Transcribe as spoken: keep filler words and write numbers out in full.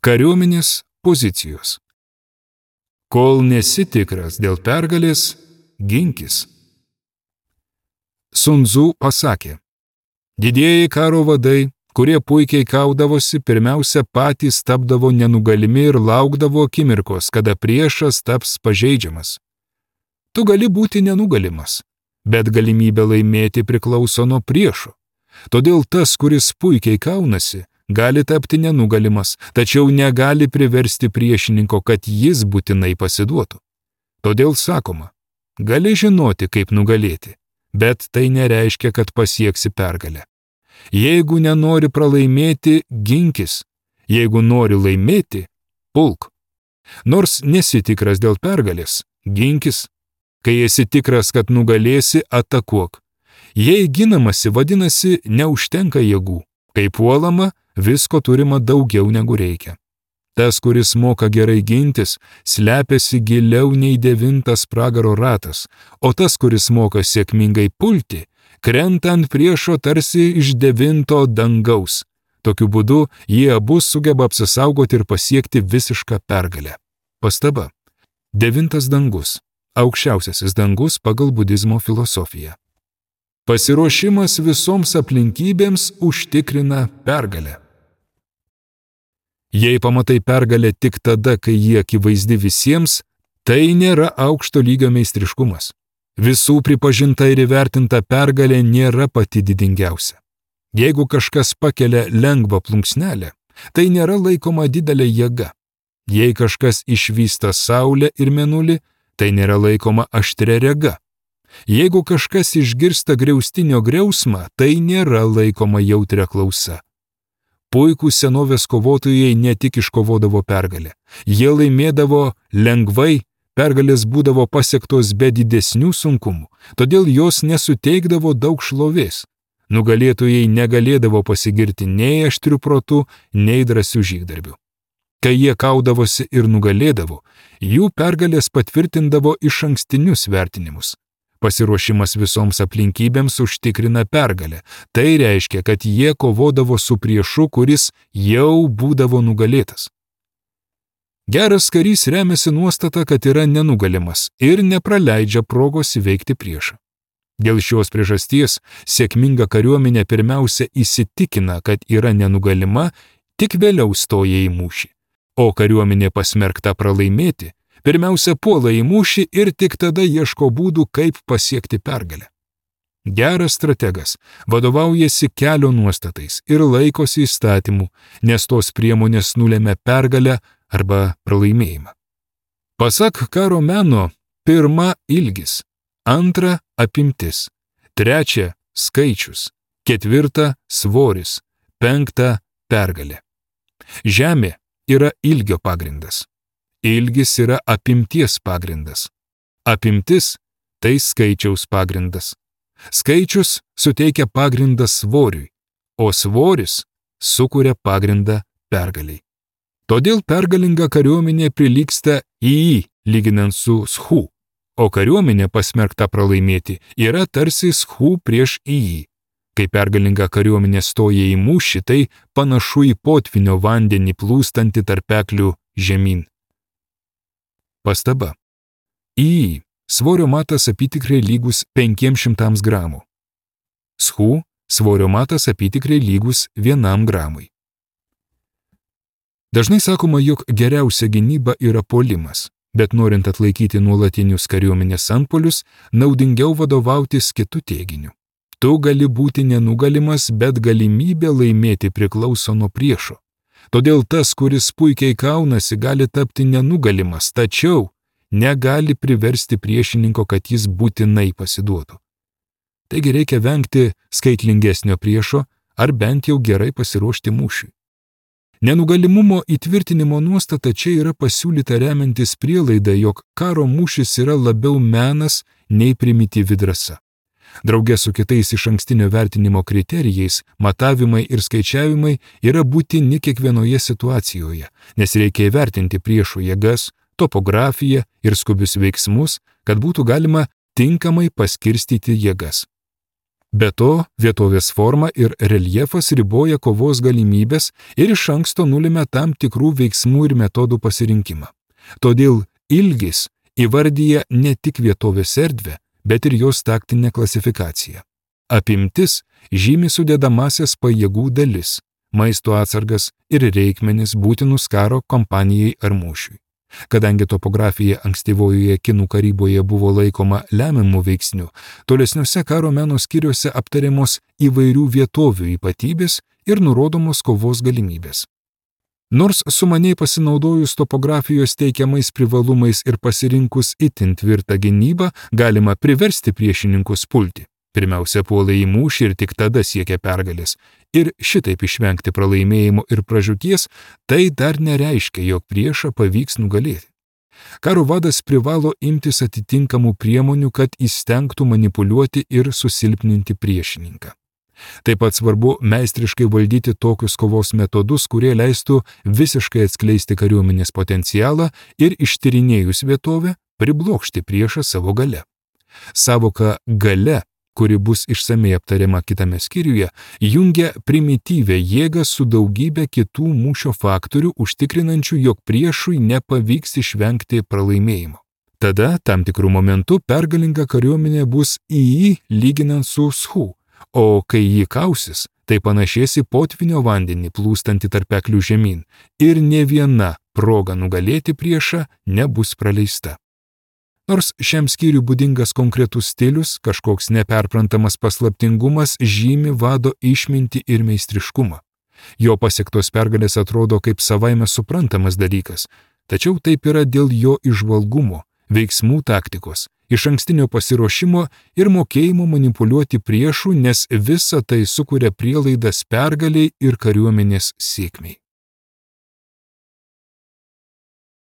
Kariuomenės pozicijos. Kol nesi tikras dėl pergalės, ginkis. Sun Tzu pasakė, didieji karo vadai, kurie puikiai kaudavosi, pirmiausia patys tapdavo nenugalimi ir laukdavo akimirkos, kada priešas taps pažeidžiamas. Tu gali būti nenugalimas, bet galimybė laimėti priklauso nuo priešo. Todėl tas, kuris puikiai kaunasi, gali tapti nenugalimas, tačiau negali priversti priešininko, kad jis būtinai pasiduotų. Todėl sakoma, gali žinoti, kaip nugalėti, bet tai nereiškia, kad pasieksi pergalę. Jeigu nenori pralaimėti, ginkis. Jeigu nori laimėti, pulk. Nors nesi tikras dėl pergalės, ginkis. Kai esi tikras, kad nugalėsi, atakuok. Jei ginamasi, vadinasi, neužtenka jėgų. Kai puolama, visko turima daugiau negu reikia. Tas, kuris moka gerai gintis, slepiasi giliau nei devintas pragaro ratas, o tas, kuris moka sėkmingai pulti, krenta ant priešo tarsi iš devinto dangaus. Tokiu būdu jie abu sugeba apsisaugoti ir pasiekti visišką pergalę. Pastaba. Devintas dangus. Aukščiausiasis dangus pagal budizmo filosofiją. Pasiruošimas visoms aplinkybėms užtikrina pergalę. Jei pamatai pergalę tik tada, kai jie akivaizdi visiems, tai nėra aukšto lygio meistriškumas. Visų pripažinta ir įvertinta pergalė nėra pati didingiausia. Jeigu kažkas pakelia lengvą plunksnelę, tai nėra laikoma didelė jėga. Jei kažkas išvysta saulę ir mėnulį, tai nėra laikoma aštria rega. Jeigu kažkas išgirsta griaustinio griausmą, tai nėra laikoma jautria klausa. Puikūs senovės kovotojai ne tik iškovodavo pergalę. Jie laimėdavo lengvai, pergalės būdavo pasiektos be didesnių sunkumų, todėl jos nesuteikdavo daug šlovės. Nugalėtojai negalėdavo pasigirti nei aštriu protu, nei drąsių žygdarbių. Kai jie kaudavosi ir nugalėdavo, jų pergalės patvirtindavo išankstinius vertinimus. Pasiruošimas visoms aplinkybėms užtikrina pergalę. Tai reiškia, kad jie kovodavo su priešu, kuris jau būdavo nugalėtas. Geras karys remiasi nuostata, kad yra nenugalimas ir nepraleidžia progos įveikti priešą. Dėl šios priežasties sėkminga kariuomenė pirmiausia įsitikina, kad yra nenugalima, tik vėliau stoja į mūšį. O kariuomenė pasmerkta pralaimėti, pirmiausia puola į mūšį ir tik tada ieško būdų, kaip pasiekti pergalę. Geras strategas vadovaujasi kelio nuostatais ir laikosi įstatymų, nes tos priemonės nulemia pergalę arba pralaimėjimą. Pasak karo meno, pirma ilgis, antra apimtis, trečia skaičius, ketvirta svoris, penkta pergalė. Žemė yra ilgio pagrindas. Ilgis yra apimties pagrindas. Apimtis – tai skaičiaus pagrindas. Skaičius suteikia pagrindą svoriui, o svoris sukuria pagrindą pergaliai. Todėl pergalinga kariuomenė prilygsta į, lyginant su schu, o kariuomenė pasmerkta pralaimėti yra tarsi schu prieš į. Kai pergalinga kariuomenė stoja į mūšį, tai panašu į potvinio vandenį plūstantį tarpeklių žemyn. Pastaba. Į svorio matas apytikriai lygus penkiems šimtams gramų. Schu svorio matas apytikriai lygus vienam gramui. Dažnai sakoma, jog geriausia gynyba yra puolimas, bet norint atlaikyti nuolatinius kariuomenės antpuolius, naudingiau vadovautis kitu teiginiu. Tu gali būti nenugalimas, bet galimybė laimėti priklauso nuo priešo. Todėl tas, kuris puikiai kaunasi, gali tapti nenugalimas, tačiau negali priversti priešininko, kad jis būtinai pasiduotų. Taigi reikia vengti skaitlingesnio priešo ar bent jau gerai pasiruošti mūšiui. Nenugalimumo įtvirtinimo nuostata čia yra pasiūlyta remiantis prielaida, jog karo mūšis yra labiau menas nei primityvi drąsa. Drauge su kitais išankstinio vertinimo kriterijais, matavimai ir skaičiavimai yra būtini kiekvienoje situacijoje, nes reikia įvertinti priešo jėgas, topografiją ir skubius veiksmus, kad būtų galima tinkamai paskirstyti jėgas. Be to, vietovės forma ir reljefas riboja kovos galimybės ir iš anksto nulėmė tam tikrų veiksmų ir metodų pasirinkimą. Todėl ilgis įvardyja ne tik vietovės erdvę, bet ir jos taktinę klasifikaciją. Apimtis žymi sudedamasias pajėgų dalis, maisto atsargas ir reikmenis būtinus karo kampanijai ar mūšiui. Kadangi topografija ankstyvojoje kinų karyboje buvo laikoma lemiamų veiksnių, tolesniuose karo meno skyriuose aptariamos įvairių vietovių ypatybės ir nurodomos kovos galimybės. Nors sumaniai pasinaudojus topografijos teikiamais privalumais ir pasirinkus itin tvirtą gynybą, galima priversti priešininkus pulti. Pirmiausia, puola į mūšį ir tik tada siekia pergalės. Ir šitaip išvengti pralaimėjimo ir pražūties, tai dar nereiškia, jog priešą pavyks nugalėti. Karo vadas privalo imtis atitinkamų priemonių, kad įstengtų manipuliuoti ir susilpninti priešininką. Taip pat svarbu meistriškai valdyti tokius kovos metodus, kurie leistų visiškai atskleisti kariuomenės potencialą ir ištyrinėjus vietovę, priblokšti priešą savo gale. Savoka gale, kuri bus išsamei aptariama kitame skyriuje, jungia primityvę jėgą su daugybė kitų mūšio faktorių, užtikrinančių, jog priešui nepavyks išvengti pralaimėjimo. Tada, tam tikrų momentų, pergalinga kariuomenė bus į jį lyginant su schu, o kai jį kausis, tai panašės į potvinio vandenį plūstantį tarpeklių žemyn ir ne viena proga nugalėti priešą nebus praleista. Nors šiam skyriui būdingas konkretus stilius, kažkoks neperprantamas paslaptingumas žymi vado išmintį ir meistriškumą. Jo pasiektos pergalės atrodo kaip savaime suprantamas dalykas, tačiau taip yra dėl jo įžvalgumo, veiksmų taktikos, išankstinio pasiruošimo ir mokėjimo manipuliuoti priešų, nes visa tai sukuria prielaidas pergaliai ir kariuomenės sėkmei.